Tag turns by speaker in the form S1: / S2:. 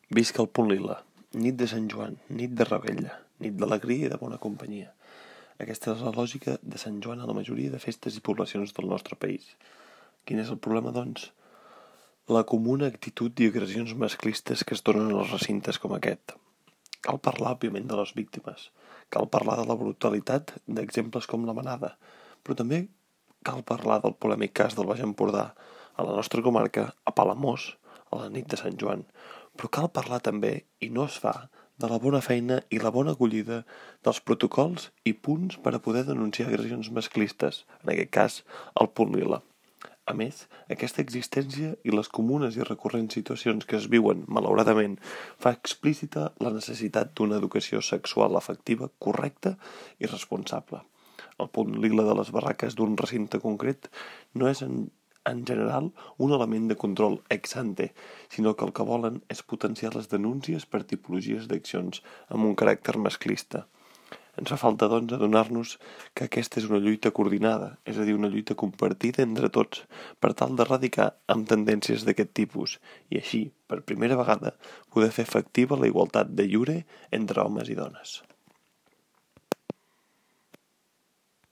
S1: Visca el punt lila, nit de Sant Joan, nit de revetlla, nit d'alegria i de bona companyia. Aquesta és la lògica de Sant Joan a la majoria de festes i poblacions del nostre país. Quin és el problema, doncs? La comuna actitud i agressions masclistes que es donen als recintes com aquest. Cal parlar, òbviament, de les víctimes. Cal parlar de la brutalitat d'exemples com la manada, però també cal parlar del polèmic cas del Baix Empordà, a la nostra comarca, a Palamós, a la nit de Sant Joan. Però cal parlar també, i no es fa, de la bona feina i la bona acollida dels protocols i punts per a poder denunciar agressions masclistes, en aquest cas, el punt lila. A més, aquesta existència i les comunes i recurrents situacions que es viuen, malauradament, fa explícita la necessitat d'una educació sexual afectiva correcta i responsable. El punt lila de les barraques d'un recinte concret no és en general un element de control ex ante, sinó que el que volen és potenciar les denúncies per tipologies d'accions amb un caràcter masclista. Ens fa falta, doncs, adonar-nos que aquesta és una lluita coordinada, és a dir, una lluita compartida entre tots, per tal d'erradicar amb tendències d'aquest tipus i així, per primera vegada, poder fer efectiva la igualtat de iure entre homes i dones.